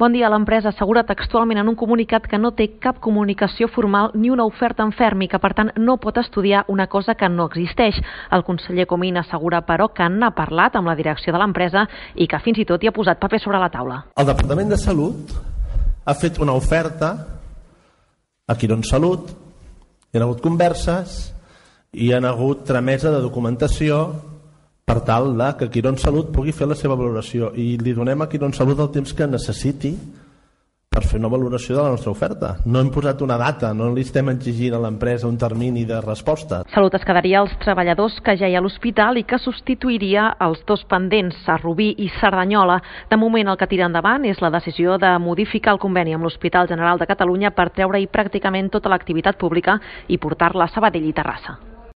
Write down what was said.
Bon dia. L'empresa assegura textualment en un comunicat que no té cap comunicació formal ni una oferta en ferm i que, per tant, no pot estudiar una cosa que no existeix. El conseller Comín assegura, però, que n'ha parlat amb la direcció de l'empresa i que fins i tot hi ha posat paper sobre la taula. El Departament de Salut ha fet una oferta a Quirónsalud, hi ha hagut converses i hi ha hagut tramesa de documentació per tal que Quirónsalud pugui fer la seva valoració i li donem a Quirónsalud el temps que necessiti per fer una valoració de la nostra oferta. No hem posat una data, no li estem exigint a l'empresa un termini de resposta. Salut es quedaria als treballadors que ja hi ha a l'hospital i que substituiria els dos pendents, a Rubí i Cerdanyola. De moment el que tira endavant és la decisió de modificar el conveni amb l'Hospital General de Catalunya per treure-hi pràcticament tota l'activitat pública i portar-la a Sabadell i Terrassa.